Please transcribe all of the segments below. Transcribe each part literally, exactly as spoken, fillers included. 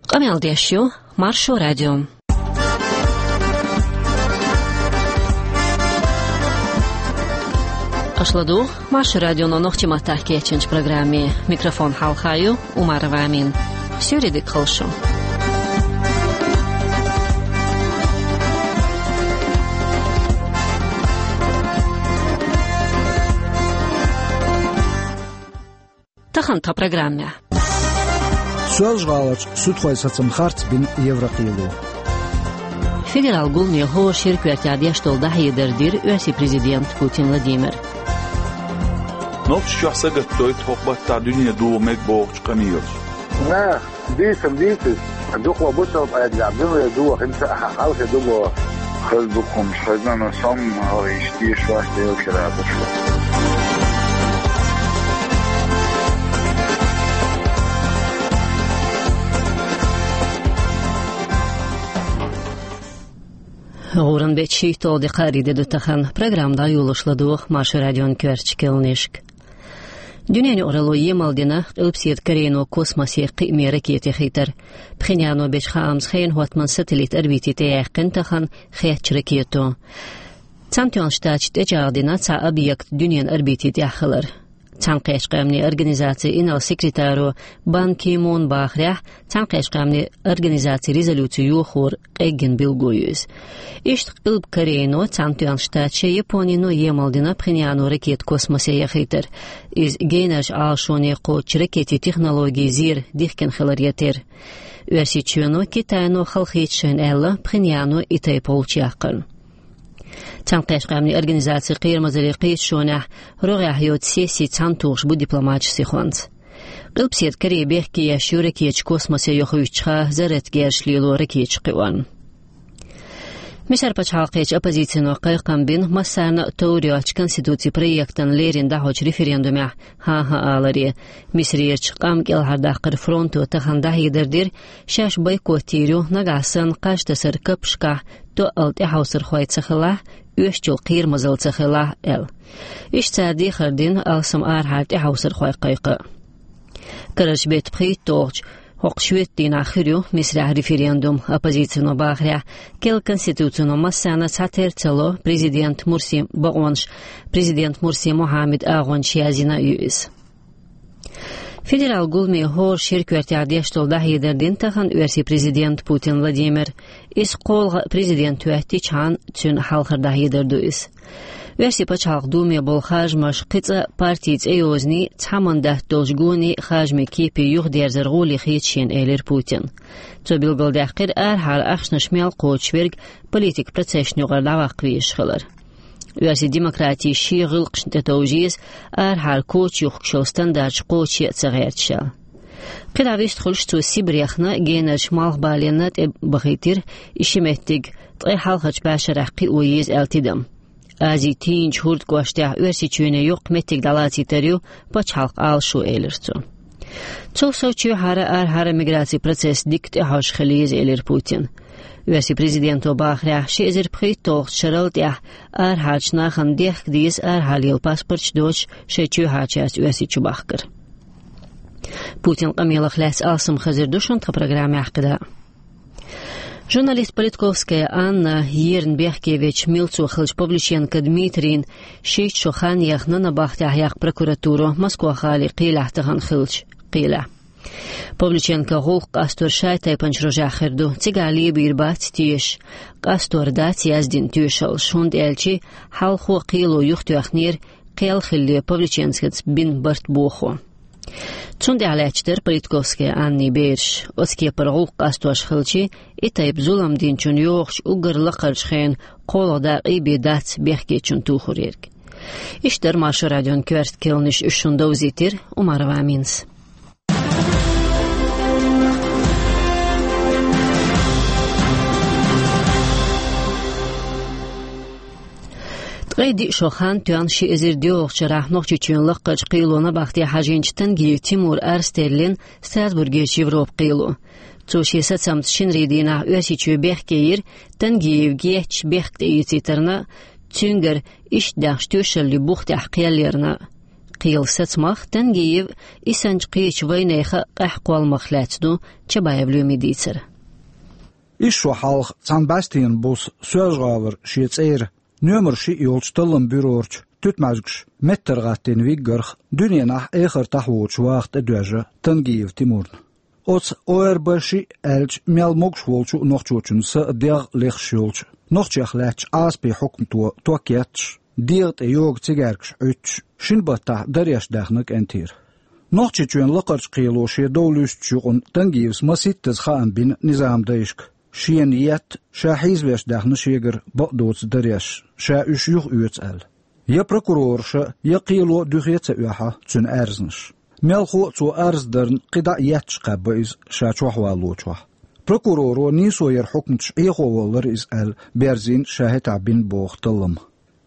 Къамел деш ю Маршо радио. Аша ладугӀу Маршо радионо нохчийн маттахь кечйинчу программе. Микрофон хьалха ю Умарова Амина. Суьйре дика хуьлда шун. Тахана тхан программехь. Соьлжа-ГӀаларчу судхойн сацам харц бина Еврокхело. Федералан гуламе хӀора шеран коьртехь деш долу дӀахьедар дира Оьрсийн президента Путин Владимира. Нохчийчохь сагатдойту хӀокху баттахь дуьне догӀу мега бохучу къамелаша. Нах дийцам дийцира, дукха бусалба Ӏедалехь дуьне догӀу хӀинца а хьалхе ду боху. Хаза ду хӀумаш, хаза, но сом, иштта тешаш вац, Дела кара ду шу. ГӀуран беттан шийтталгӀа де, кхаарин де ду тахана. Программа дӀайолош ладугӀу Маршо радион коьртачу кхаьънашка. Дуьненан юкъаралло емал дина Къилбаседа Корейно космосе кхиаме ракета яхийтар. Пхеньяно бечу хаамца, хенан хӀоттаман сателлит орбите тӀеяьккхина тахана хеттачу ракето. Цхьаьнатоьхначу Штаташа тӀечӀагӀдина цхьа объект дуьненан орбите тӀехь хилар. Цхьаьнакхеттачу Къаьмнийн Организацин инарла секретаро Бан Ки Муна бахарехь, Цхьаьнакхеттачу Къаьмнийн Организацин резолюци йохор къеггина билгало ю иза. Иштта Къилба Корейно, Цхьаьнатоьхначу Штаташа, Японино емал дина Пхеньяно ракета космосе яхийтар. Иза генарчу Ӏалашоне кхочучу ракетийн технологи зер дихкина хиларе терра. Оьрсийчоьно, Китайно халахеташ шайна аьлла Пхеньяно и тайпа гӀулч яккхарна. Цхьаьнакхеттачу Къаьмнийн Организацин Кхерамазаллин кхеташонехь рогӀехь йоцу сесси цхьаьнатухуш бу дипломаташ сихонца. Къилбаседа Корей бехке еш ю ракеташ космосе йохуьйтучу хан зарратан герзаш лело ракеташ кхиорна. Мисар пачхьалкхерчу оппозицино кхайкхам бина массарна а товр йоцучу конституцин проектана лерина дӀахьочу референдумехь хӀан-хӀа аларе. Мисарерчу Къам кӀелхьардаккхаран фронто тахана дӀахьедар дира, шаьш бойкот йийр ю, нагахь санна кхаж тасаран каппашкахь тоъал тӀехьовсархой ца хилахь, оьшучул кхерамазалла ца хилахь, аьлла. Иштта цара дехар дина алсам арахьара тӀехьовсархойн кхайкха а. Карарчу беттан пхийтталгӀачу хӀокху шоьтан дийнахь хир ю Мисарехь референдум. Оппозицино бахарехь, керла конституцино массарна а цхьатерра ца ло президент Мурсин бакъонаш, президент Мурсин Мухьаммадан агӀончаша язйина а ю иза. Федералан гуламе хӀора шеран коьртехь деш долу дӀахьедар дина тахана Оьрсийн президента Путин Владимира. Иза кхоалгӀа президент хӀоьттичхьана цуьнан хьалхара дӀахьедар ду иза. Оьрсийн Пачхьалкхан Думе болу харжамаш кхин цкъа а партийн цӀейозанийн, цхьа мандат долчу гонийн харжамийн кепе юхадерзар гӀоле хета шена, элира Путина. Цо билгалдаьккхира арахьара ахчанаш мел кхочуш верг политикан процессашна юкъара дӀаваккха везаш хилар. Оьрсийн демократин шен гӀиллакхашна тӀетовжа еза, арахьара коча юхкуш йолу стандарташ кхочуш ян а ца гӀерташ аьлла. КхидӀа вистхуьлуш цо Сибрехна, генарчу Малхбаленна тӀебахийтира и ши меттиг, ткъе хьалхарчу бӀешарахь кхио еза аьлла тидам. Азин тийначу хӀордан кӀоштехь Оьрсийчоьне йоккха меттиг дӀалацийтар ю пачхьалкхан Ӏалашо, элира цо. Цул сов чоьхьара арахьара миграцин процесс дика тӀехьожуш хила еза, элира Путина. Оьрсийн президенто бахарехь, ши эзар пхийтталгӀачу шарал тӀаьхьа арахьарчу нахана дехка деза арахьара лела паспорташ доцуш шайн чоьхьарчаьрца Оьрсийчу бахкар. Путинан къамелах лаьцна алсам хазар ду шуна тхан программехь кхидӀа. Журналист Политковская Анна ерна бехке вечу милцо хиллачу Павлюченко Дмитрийна шийтта шо хан яхна набахтехь яккха прокуратуро Москва-гӀалин кхелехь тахана хиллачу кхелехь. Павлюченкон гӀуллакх къастор шатайпанчу рожехь хир ду, цигахь лебийр бац тешаш, къастор дац яздина тоьшаллаш, хӀунда аьлча хьалхо кхело юхатоьхнера кхел хилале Павлюченкос бина барт бохо. Цунна тӀехь лаьтташ дара Политковская Аннин бераш. Оцу кепара гӀуллакх къастош хилча, и тайпа зулам динчунна йогӀучу уггар лакхарчу хенан кхоалгӀа дакъа бен дац бехкечунна тухур ерг. Иштта дара Маршо радион коьрта кхаьънаш, уьш шуна довзийтира Умарова Аминас. Ткъе диъ шо хан тоьхна ши эзар доьалгӀачу шарахь Нохчийчоьнан лакхарчу кхело набахте хьажийначу Тангиев Тимуран арз теллина Страсбургерчу Европан кхело. Цо шен сацамца шинарин дийнахь Оьрсийчоь бехке йира Тангиев гечдеш бехк тӀеэцийтарна, цуьнгара иштта даьхначу тоьшаллийн бух тӀехь кхел ярна. Кхелан сацамах Тангиев а, Исанча кхечу вайнехан а къаьхьа кхолламах лаьцна ду Чабаев Лоьмин дийцар. Ишшо хьалха цхьана бӀаьстенан буса Соьлжа-ГӀалара шен цӀера, номер шиъ йолчу талламан бюрочу туьтмӀаьжгаш меттара гӀаттийна виггарх, дуьненахь эхартахь воцуш ваха тӀедоьжна Тангиев Тимурна. Оцу О Р Б шиъ аьлча мел могуш волчу а нохчочун са а, дегӀ а лехаш йолчу, нохчех лаьттачу Ӏазапийн хьукмато ток етташ, дегӀа тӀе йогу цигаьркаш Ӏуьттуш, шина баттахь дареш даьхна кӀентера. Нохчийчоьнан Лакхарчу кхело шен дов луьстучу юкъана Тангиевс масийттаза хаам бина низаман дайшка, шена етта, ша хьийзавеш даьхна шегара бакъдоцу дареш, ша уьш юхаоьцу аьлла. Я прокурораша, я кхело дуьхе а ца оьхьа цуьнан аьрзнаш. Мелхо а цо арз дарна кхин дӀа а етташ кхаьбна иза, ша чохь валлочохь. Прокуроро нийсо яран хьукматаш Ӏехо воллура иза аьлла, берзийна ша хӀетахь бина боху таллам.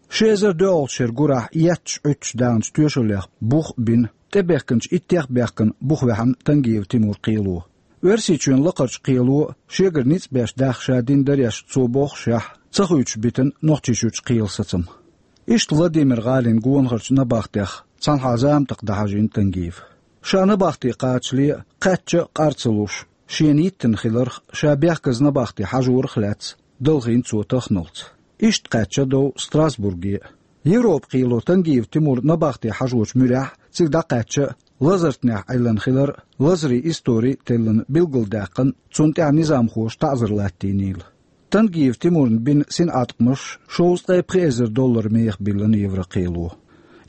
Ши эзар доьалгӀачу шеран гурахь етташ Ӏуьттуш даьхначу тоьшаллех бух а бина, тӀебехкинчу иттех а бехкана бух ваьхьна Тангиев Тимуран кхело. Оьрсийчоьнан Лакхарчу кхело шегара ницкъ беш даьхна ша дина дареш цо бохушехь, ца хуьйцуш битина Нохчийчуьрчу кхелан сацам. Иштта Владимир-гӀалин гонахарчу набахтех цхьанхьа зама тӀе дӀахьажийна Тангиев. Ша набахте кхачале а, кхаьчча а къар ца луш, шена йиттина хиларх, ша бехказа набахте хьажорах а лаьцна, далхийна цо таханалц. Иштта кхаьчна дов Страсбурге а. Европан кхело Тангиев Тимур набахте хьажочу муьрехь а, цига дӀакхаьчча а, лазартнехь Ӏиллина хилар а, лазарийн истори а теллина билгалдаьккхина, цунна тӀехь низамхоша таӀзар латтийнийла. Тангиев Тимурна бина синӀаткъамаш шовзткъе пхи эзар доллар меха биллина Европан кхело.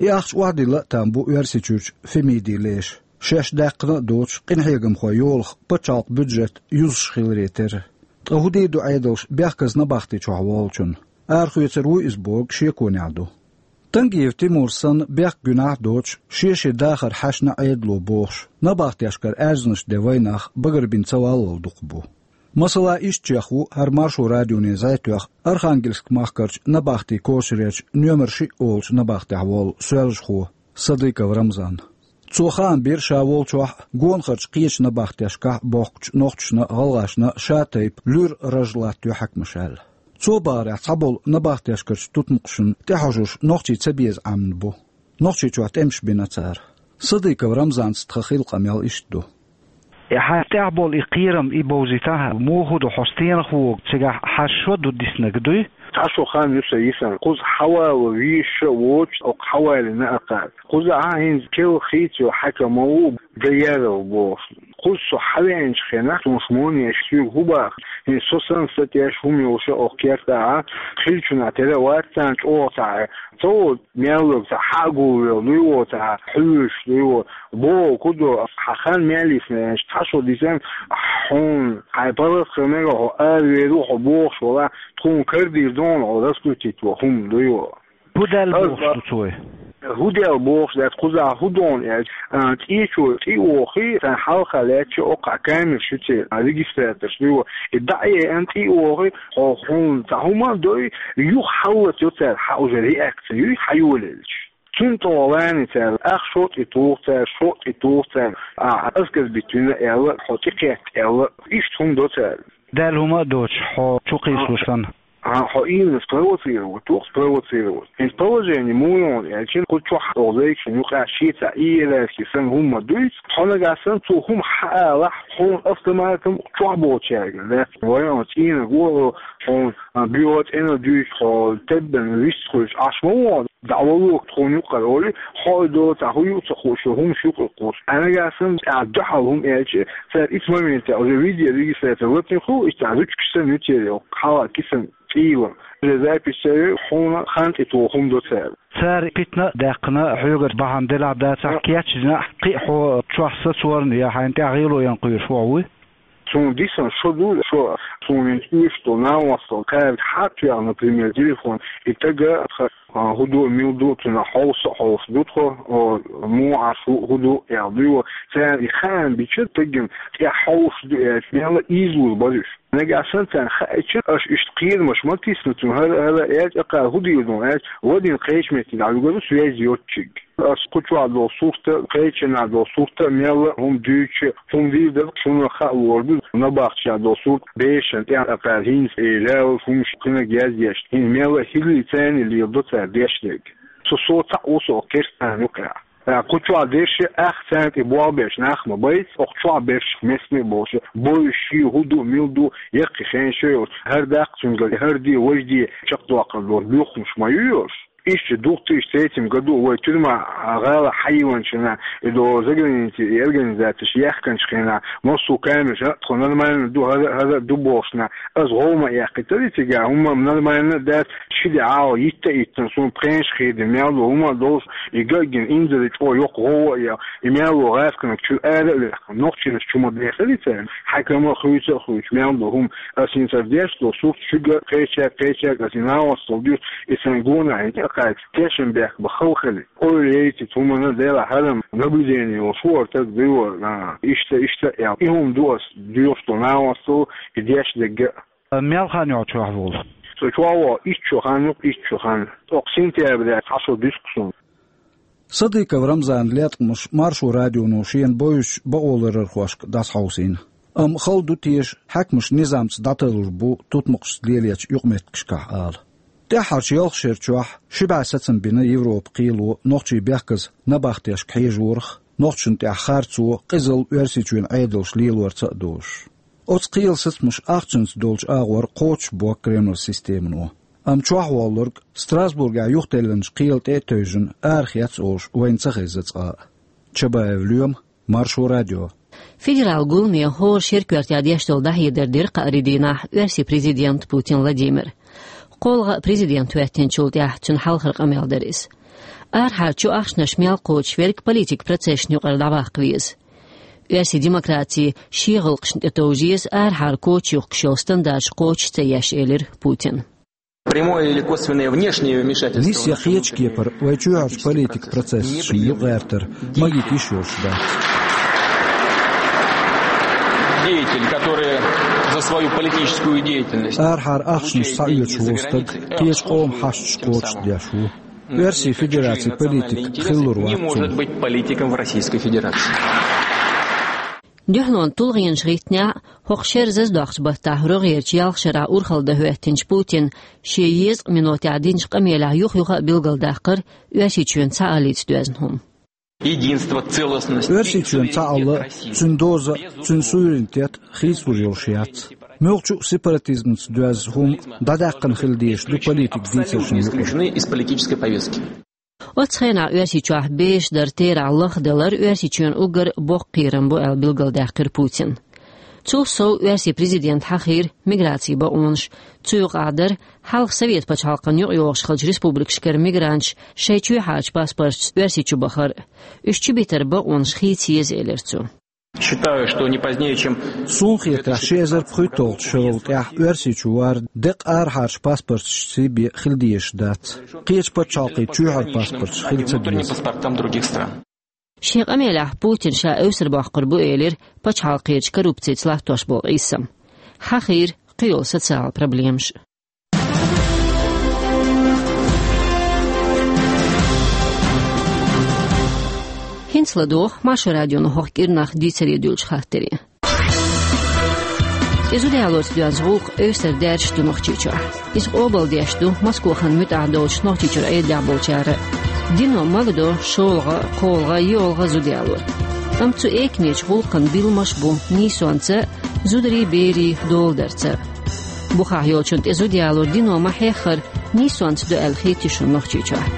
И ахча охьадилла а там бу Оьрсийчуьрчу Фемиди леша, шаьш даьккхина а доцуш, къинхьегамхойн йолах пачхьалкхан бюджет юзуш хиларе терра. Ткъа хӀун дийр ду Ӏедалша бехказа набахти чохь волчунна? Арахоьцур вуй иза бохург шеконехь ду. Тангиев Тимур санна, бехк гуьнахь а доцуш, шен-шен дахар хьаьшна Ӏедало бохуш, набахтешкара аьрзнаш ден вайнах багарбина ца валлал дукха бу. Масала, иштачех ву хӀара Маршо радионе зӀе тоьхна Архангельск махкарчу набахти кошарерчу номер шиъ олучу набахтехь волу соьлжахо Садыков Рамзан. Цо хаам бира ша волчохь а, гонахарчу кхечу набахтешкахь а бохкучу нохчашна а, гӀалгӀашна а ша тайпа луьра раж латтайо хьаькамаша аьлла. Цо бахарехь, цхьаболу набахтешкарчу тутмакхашна тӀехьожуш нохчий ца беза Ӏемина бу. Нохчийчохь тӀемаш бина цара. Садыков Рамзанца тхан хилла къамел иштта ду. И хьан тӀехь болу и кхерам, и бовзийтахь, муха ду, хьо стенах вогу, цигахь хьан шо ду диснарг, дуй? Цхьа шо хан ю сан йисина. Кхуза хьавала везаш а воцуш, оха хьавалийна а кхара. Кхузахь хӀинца керла хийца йолу хьаькам ма ву, гаяров бохуш. Кхуза со хьавеанчу хенахь, цунах муха еш, соьга хӀун боху? ХӀинца со санна, са тӀехь хӀума йолуш а оха кертахь, хиллачунна тера а вац царна чӀогӀа цхьа. Цо мел ву, цхьа хьагулвелла дуй ву, цхьа хьуьйсуш дуй ву. Боху, кху ду, хьан хан мел йисина, цхьа шо дисина, хьуна хьайн паргӀат хир мегар, хьо аравер ву, хьо бохуш валахь, тхуна карадийр ду хьуна хьо раскрутить ву хӀума дуй ву. ХӀун даьлла бохуш ду цо? ХӀун даьлла бохуш дац, кхузахь хӀун ду хьуна аьлча, а, цӀечо тӀе а вохий, царна хьалха лаьтташ а оккхахь камераш ю церан, а, регистраторш дуй ву. И дӀа а яйъина тӀе а вохий, хьо хьуна цхьа хӀума а дой, юха хьаллатайо цара, хьан уже реакция юй, хьан йолаелча. Цунна тӀе валаний цара, ах, шо тӀе туху цара, шо тӀе туху цара, а, оскорбить вина аьлла, хьо тӀекхетта аьлла, иштта хӀума до цара. Даьлла хӀума а доцуш, хьо чу кхийсо санна. А, хьо именно спровоцировать, тоху спровоцировать. ХӀинца положение муха ю хьуна аьлча, кху чохь оха зайчун юкъахь шеца иерархи санна хӀума ма дуьйцу, хьо нагахь санна цо хӀума хьан алахь, хьуна автоматом чохь болчаьрга, да? Вайн цӀийнарг ву хьо, хьуна, а, буьйо цӀена дуьйцу, хьо теббан вистхуьлуш Ӏаш ма ву хьо. ДӀавало тхуна юккъара олий, хьо и до цхьа хӀун ю а ца хууш, хӀумаш юкъа кхуш. Ӏанагахь санна, тӀаьхьа дуьхьал хӀума аьлча, цара итт моментехь уже видеорегистратор латийна хуьлу, иштта зудчуьнга санна ю церан, хьалха кисан цӀийла. Уже запись ца йой, хьуна хан тӀе туху хӀума до цара. Цара питана а даьккхина, хьоьгара бахьана делахь а дацахь а, кечдина а, кхин а хьо чохь сацорна я хьайна тӀехь гӀело ян кхоьруш ву хьо, вуй? Суна дисина шо ду, шо, суна хӀинца уьш долу, нанос долу, кхаьрга хьан а тоьхна, например, телефон, и тага тхан, а, хӀун ду, мила ду, цунах хьовса а хьовса ду тхо, о, муха Ӏаш ву, хӀун ду, аьлла дуй ву. Царна и хаам бича, таггина тӀехь хьовсуш ду аьлча, мелла а ийзалур бара уьш. Нагахь санна царна хаьича, аша иштта кхерамаш ма тисна цунна, хӀара, хӀара аьлча, акхара хӀун дийр ду аьлча, вадийна кхечу метте дӀавигар ву связь йоцчуьнга. Ас кху чохь долу сурт а, кхечанхьа долу сурт а, мелла а хӀума дуьйцуча, хӀума дийр дара, шуна хаа лур ду, набахташкахь долу сурт, бешан тӀе а кхара хӀинца, э, лаьллаш хӀумаш кхинаг яздеш, хӀинца мелла а хӀиллий царний леладо цара дешнарг. Со, со цхьаъ ву со керстанна юкъахь. Кху чохь дерш а ах царна тӀе болх беш нах ма байца, оха чохь берш местный болуш, бойуш ший хӀу ду, мил ду, яккхий хенаш йолуш, хӀара даккха цуьнгара, хӀара де, важа де, чекхдоккхур долу буьххамаш ма ю йолуш. Иштта дукха тиша цецим гаду вай тюрьма гӀала хьайванчана, и до заграници и организацеш яхканчу хенахь, массо камераш а тхо нормально ду, хӀара, хӀара ду бохушна, ас гӀовма яьккхитари цига, хӀумма нормально дац, ши де Ӏала йитта а йиттина, суна пхенаш хеда, мел ду, хӀума а долуш, и гаггина инзаре чӀо йоккха гӀовгӀа а ял, и мел ду гӀасканах чуьра ара а вехна, нохчийнаш чу ма дехари царна, хьаькам а хуьйца а хуьйцу, мел ду хӀума, ас хӀинца деш долу сурт шуьга кхеча, кхеча, ас и нагӀостал дуьйцу, и сайн гонахь хӀинца а кхайкаш, тешам бехк бан хала хили. Ойла яйти хӀумана дела хьарам наблюдение йолуш ву артаг дуйла, а, иштта, иштта а ял. И хӀума ду ас, доьхуш долу нагӀостал, и деш дегга а. Мел хан йолчохь волу? Со чохь ву, итт шо хан ю, итт шо хан. Тхо сентября хьашо дуьсу кху суна. Садыков Рамзан леткъамаш Маршо радионо шена бойуш бакъоларархошка дӀасахьовсийна. Амма хала ду теша, хьаькамаш низамца дӀатарлур бу тутмакхашца лелечу юкъаметтигашкахь ала. ТӀаьххьарчу ялх шер чохь ши бӀе сацам бина Европа кхело нохчий бехказа набахтешка хьежорах, нохчашна тӀехь харцо, къизалла Оьрсийчоьнан Ӏедалша лелорца а долуш. Оцу кхелан сацамаш ахчанца долчу агӀор кхочушбо Кремлан системано. Амма чохь воллург Страсбургехь юхателлинчу кхела тӀе а тевжина арахецна олуш вайна ца хезна цкъа а. Чабаев Лоьма, Маршо радио. Федералан гуламе хӀора шеран коьртехь деш долу дӀахьедар дира кхаарин дийнахь Оьрсийн президента Путин Владимира. КхоалгӀа президент хӀоьттинчул тӀаьхьа цуьнан хьалхара къамел дара иза. Арахьарчу ахчанаш мел кхочушверг политикан процессашна юкъара дӀаваккха веза. Оьрсийн демократи шен гӀуллакхашна тӀетовжа еза арахьара коча юхкуш йолу стандарташ кхочуш ца еш, элира Путина. Прямое или косвенное внешнее вмешательство в наши внутренние политические процессы. Нийса я кхечу кепара нийс я кхечу кепара процессашна юкъагӀертар магийта йиш йолуш дац. Деятель, который за свою политическую деятельность Арахьара ахчанаш схьаоьцуш волу стаг кхечу къоман хьашташ кхочушдеш ву. Оьрсийн Федерацин политик хилалур вац цунах. Не может быть политиком в Российской Федерации. Дуьхьалонан тулгӀенаш гӀиттинехь а, хӀокху шеран зазадоккхучу баттахь рогӀерачу ялх шарахь урхалла дан хӀоьттинчу Путина шен езткъа минотехь динчу къамелехь юха-юха а билгалдаккхара Оьрсийчоьнан цхьааллица доьзна хӀума. Единство, целостность. Оьрсийчоьнан цхьаалла, цуьнан доза, цуьнан суверенитет хийцалур йолуш яц. Муьлххачу а сепаратизмца доьзна хӀума дӀадаьккхина хила дезаш ду политикан дийцаршна юкъара. Оцу хенахь Оьрсийчохь безаш дара терахь лахадалар Оьрсийчоьнан уггар боккха кхерам бу аьлла билгалдаьккхира Путина. Цул сов Оьрсийн президента хьахийра миграцин бакъонаш, цу юкъахь дара хьалха Совет пачхьалкхана юкъайогӀуш хиллачу республикашкара мигранташ шайн чоьхьарчу паспорташца Оьрсийчу бахар а. Уьш чубитаран бакъонаш хийца еза, элира цо. Считаю, что не позднее, чем Суна хетарехь, ши эзар пхийтталгӀачу шарал тӀаьхьа Оьрсийчу вар деккъа арахьарчу паспорташца бен хила дезаш дац. Кхечу пачхьалкхийн чоьхьара паспорташ хила ца деза. Внутренним паспортам других стран. Шен къамелехь Путина ша эвсара боккхур бу элира пачхьалкхерчу коррупцица латтош болу къийсам. Хьахийра кхийолу социалан проблемаш. ХӀинца ладогӀа Маршо радионо хӀокху кӀирнах дийцаре дуьллучу хаттаре. И зуда ялорца доьзна гӀуллакх эвсара даьржаш ду Нохчийчохь. Иза къобалдеш ду Москохана муьтӀахь долчу Нохчийчуьра Ӏедалехь болчара. Дино магадо шолгӀа, кхоалгӀа, йоьалгӀа зуда ялор. Амма цу экамечу гӀуллакхан билламаш бу нийсонца, зударий, берий доладарца. Бухахь йолчунна тӀе зуда ялор дино ма хьеххара, нийсонца ду аьлла хетий шуна Нохчийчохь?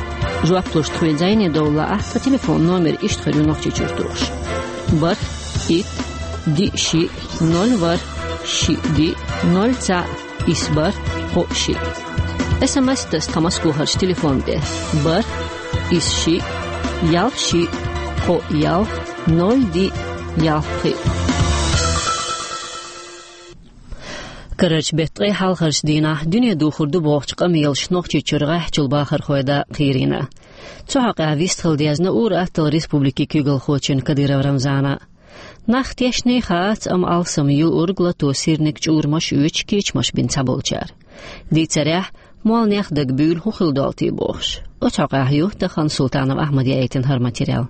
Жоп луш тхоьца зӀене довла лаахь, тхан телефон номер иштта хир ю Нохчийчуьра тухуш: бархӀ, итт, диъ, шиъ, ноль, ворхӀ, шиъ, диъ, ноль, цхьаъ, исс, бархӀ, кхоъ, шиъ. СМС таса тхан Москохарчу телефон тӀе: бархӀ, исс, шиъ, ялх, шиъ, кхоъ, ялх, ноль, диъ, ялх, пхиъ. Карарчу беттан ткъе хьалхарчу дийнахь дуьне духур ду бохучу къамелаша Нохчийчуьра гӀеххьачул бахархой дакъа кхийрийна. Цу хьокъехь вистхила дезна ур-атталла республикин куьйгалхочунна Кадыров Рамзанна. Нах тешний хаац, амма алсам юург лато сирниг чӀурамаш оьцуш кечамаш бина цхьаболчара. Дийцарехь, молланех дагабуьйлу хӀун хила долтий бохуш. Оцу хьокъехь ю тахана Султанов Ахьмада яийтина хӀара материал.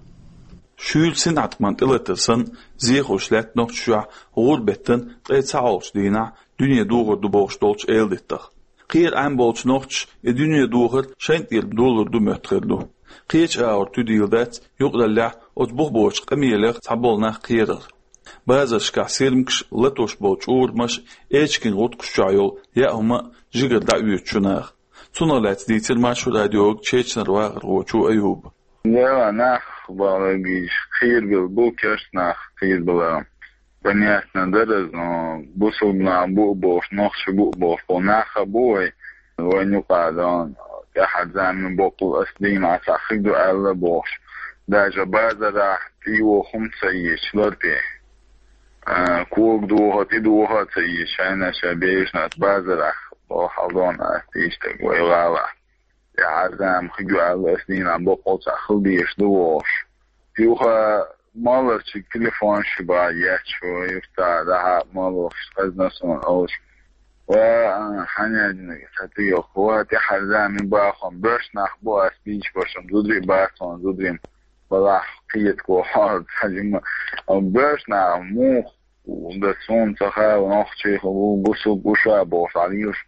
Шуьйра синӀаткъаман тӀелатар санна, зехуш лаьтта Нохчийчохь гӀуран беттан ткъе цхьалгӀачу дийнахь дуьне духур ду бохуш долчу эладиттах. Кхера Ӏемболчу нохчаша и дуьне духар шайна тӀера долалур ду моьттуш хир ду. Кхечу агӀор туьдийла дац юкъараллехь оцу бух боцчу къамелех цхьаболу нах кхерар. Базаршкахь сирмигаш, латош болу чӀурамаш, эчиган гӀутакхаш чохь йолу яа хӀума а жигара дӀаоьцу шу наха. Цунах лаьцна дийцира Маршо радиога Чечнера вахархочо Аюба. Дела нах бала гийш кхийрбелла бу, керс нах кхийрбелла. Понятно дара, но бусулба нах бу а бохуш, нохчий бу а бохуш, бо нах а бу вай, вайн юкъа дан, тӀаьхьара зама боккъал ас дийна цхьа хиг ду аьлла бохуш. Даже базарахь тӀе йоху хӀума ца езаш лар тӀе. А, кога доху, тӀе доху а ца езаш, шайна ша бежнаш базарахь, боху хьалдон ас тийштаг вай гӀала. ТӀаьхьара зама хиг ю аьлла ас дийна боккъал цхьа хила дезаш ду вохуш. Юха маларчиг телефонаш бан етташ ву, юха цара дӀахьа а малош, хазна суна олуш. Ва, а, хьан яздинарг цхьа тӀе йоккху, ва, тӀаьхьара зама бахам, боьрша нах бу ас бийча башам, зударий а бац хьуна, зударийн балахь кхетаго хьо, ца жима. Боьрша нах муха, да суна ца хаьа, нохчий хӀу, бусулба гуша бохуш дӀалелаш.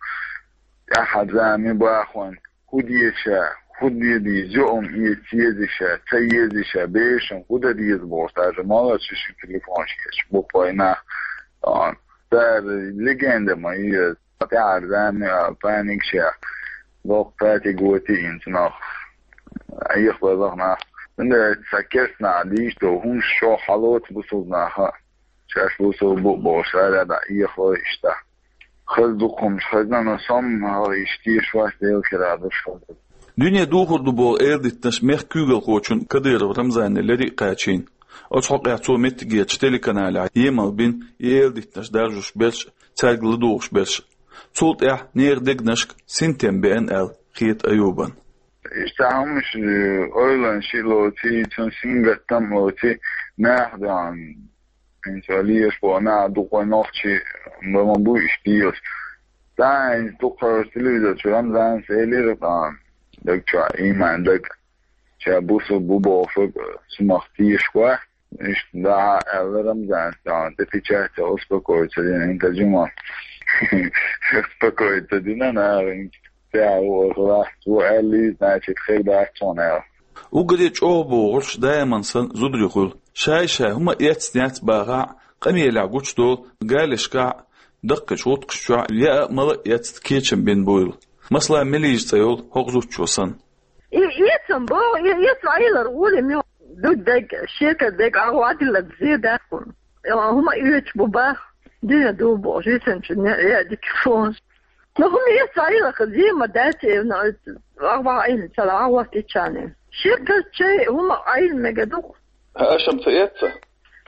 ТӀаьхьара зама бахам, хӀу деза ша, хӀу де деза, юкъам эца еза ша, ца еза ша, бешам хӀу дан деза бохуш, даже маларчу ши телефонаш еш, бу кхойнах. А, цара легенда ма еза, тӀаьхьара зама а паниг ша, доккха патиг воти инца нах. Айхбазах нах. Ца керс нах дийш до, хӀумаш шо хьалоцу бусулба наха. Шаьш бусулба бу бохуш, ара дӀа эхало иштта. Хаза дукхумаш, хазна, но сом, хьала иштта еш вац, Делан кара ду шо. Дуьне духур ду боху эладитанаш мехкан куьйгалхочун Кадыров Рамзанна леррина а кхачийна. Оцу хьокъехь цо меттигерчу телеканалехь емал бина и эладитанаш даржуш берш а, цаьрга ладугӀуш берш а. Цул тӀаьхьа нехан дегнашка синтем беана аьлла хета Аюбан. Иштта хӀумаш, э, ойланаш а лоций, цунна сингаттам а лоций, нах дан. ХӀинца леш боху нах дукха нохчий ма буй иштта йоцу. Цхьа хӀинца дукха телевизор чу Рамзанас элира тӀаккха, даг чохь ийман даг. Ша бусулба бу бохург сумах тешаш вац. Иштта дӀа аьлла Рамзанас тӀаккха, тӀе печать успокоиться дина, хӀинца жима. Успокоиться дина наха, хӀинца цхьа а ву, оха лаьцна ву аьллий, значит, хир дац цунна аьлла. Уггаре чӀогӀа бохурш даиман санна зударий хуьлу. Шай-шай хӀума эцна яц бахахь а, къамелехь гучудолу, галешкахь а, даккхийчу гӀутакхаш чохь а яа а, мала а эцна кечам бина буйла. Масала, Мелижа цӀе йолу хӀокху зудчо санна. И эцам боху, и эцна Ӏийлар гӀоле муьлха ду дег, шекар дег, агӀо дилла зе дац хьуна. ХӀума оьцуш бу бах, дуьне ду боху, жуьйцанчу не, э, дика фон. Ну, хӀума эцна Ӏийлакха зе ма дац, э, ну, агӀо Ӏийна ца ла, агӀо тиччане. Шекар чай, хӀума Ӏийна мега ду. Аша-м ца эцна?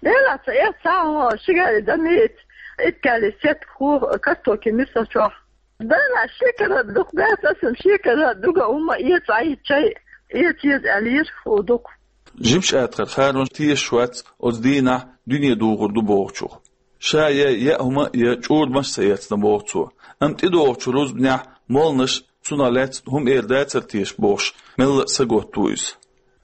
Дела ца эцна, хӀума, шигали дан меца, иткали сетка ху, картоки миса чохь. Дала шекара дукха дац, аса шекара дуга хӀума эца, Ӏай чай эца еза аьлла еза хӀу дукха. Жимчу атхар Харон тешаш вац оцу дийнахь дуьне духур ду бохучух. Ша я яа хӀума а, я чӀурамаш а ца эцна боху цо. Амма тӀедогӀучу рузбанехь молланаш цунах лаьцна хӀума эр дацара теша бохуш, мелла а саготта ву иза.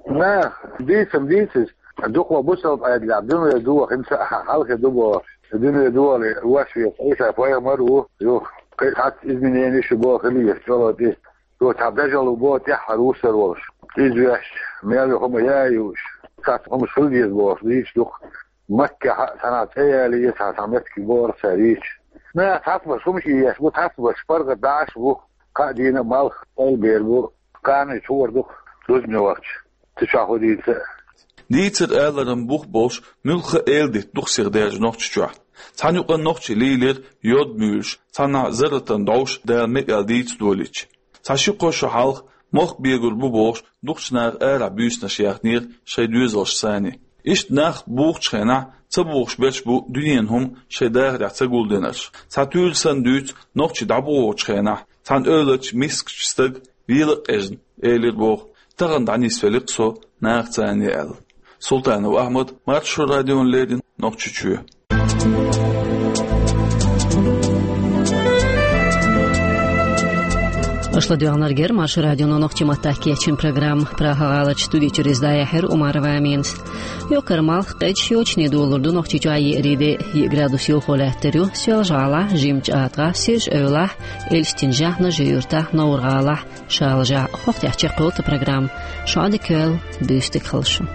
Нах, дийцам дийца иза, дукха бусалба Ӏедалехь дуьне доху, хӀинца а хьалхе ду боху. Дуьне дохале, ваш веза Ӏийса пайхамар ву, юха кхин цхьацца изменениш ю боху хилийта, чӀогӀа тӀе. Цо цхьа дажалла боху тӀаьххьара вуссар волуш. Иза веш, мел ю хӀума яа юуш. Цхьацца хӀумаш хила деза бохуш, дийца дукха. Маккехь а цхьанхьа цӀе ялий, цхьа, цхьа меттиг бора цара йийцича. Нах цхьацбарш хӀумаш еш бу, цхьацбарш паргӀат беш бу, кхаа дийнахь малх олбер бу, кхана чуьра ду-кх рузбане вахча. Цу чохь хӀу дийца а. Дийцар-аларан бух болуш муьлхха а эладита ду-кх сиха даьржа Нохчийчохь. Цхьана юкъанна нохчий лийлира йод муьйлуш, цхьанхьа зарратан дӀовш Дала мега аьлла дийца долийча. Цхьа ши-кхо шо хьалха мохк бегур бу бохуш, дукхачу наха арахь буьйсанаш яьхнера шайн доьзалш санна. Иштта нах бухучу хенахь, ца бухуш берш бу дуьненан хӀума шайн дахарехь ца гулдинарш. Цхьа туьйра санна дуьйцу, нохчий дӀабохучу хенахь, цхьана эвларчу мискачу стага вела а къежна, элира боху, тахана дӀанисвели-кх со наха царна аьлла. Султанов Ахьмад, Маршо радиона леррина, Нохчийчоь. Аша ладоагӀнаргьяр Маршо радионо нохчийн маттахь кечйина программа. Прага-гӀаларчу студи чуьра иза дӀаяьхьира Умарова Аминас. Йоккхар малх, къедаш йочане долур ду Нохчийчохь еарин де. Йиъ градус йовхо лаьттар ю Соьлжа-ГӀалахь, ЖимачӀатӀахь, Сиржа-Эвлахь, Элистанжахь, Нажи-Юьртахь, Новр-ГӀалахь, Шалажахь. ХӀокху тӀехь чекхйолу тхан программа. Шун Ӏадика йойла, буьйсаниг хуьлда шун.